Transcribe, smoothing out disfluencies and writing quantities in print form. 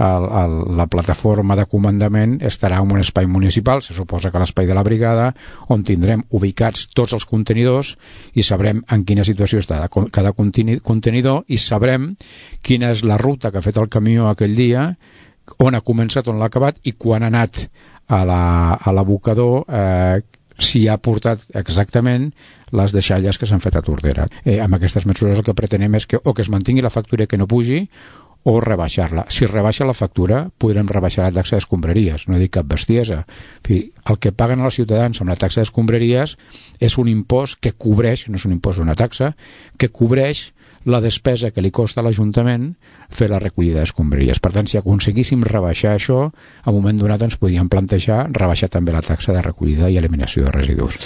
la plataforma de comandament estarà en un espai municipal, se suposa que l'espai de la brigada, on tindrem ubicats tots els contenidors i sabrem en quina situació està cada contenidor i sabrem quina és la ruta que ha fet el camió aquell dia, on ha començat, on l'ha acabat i quan ha anat a l'abocador, si ha portat exactament les deixalles que s'han fet a Tordera. Amb aquestes mesures el que pretenem és que o que es mantingui la factura que no pugi o rebaixar-la. Si rebaixa la factura, podrem rebaixar la taxa d'escombraries. No dic cap bestiesa. El que paguen els ciutadans amb la taxa d'escombraries és un impost que cobreix, no és un impost, una taxa, que cobreix la despesa que li costa a l'Ajuntament fer la recollida d'escombraries. Per tant, si aconseguíssim rebaixar això, a un moment donat ens podíem plantejar rebaixar també la taxa de recollida i eliminació de residus.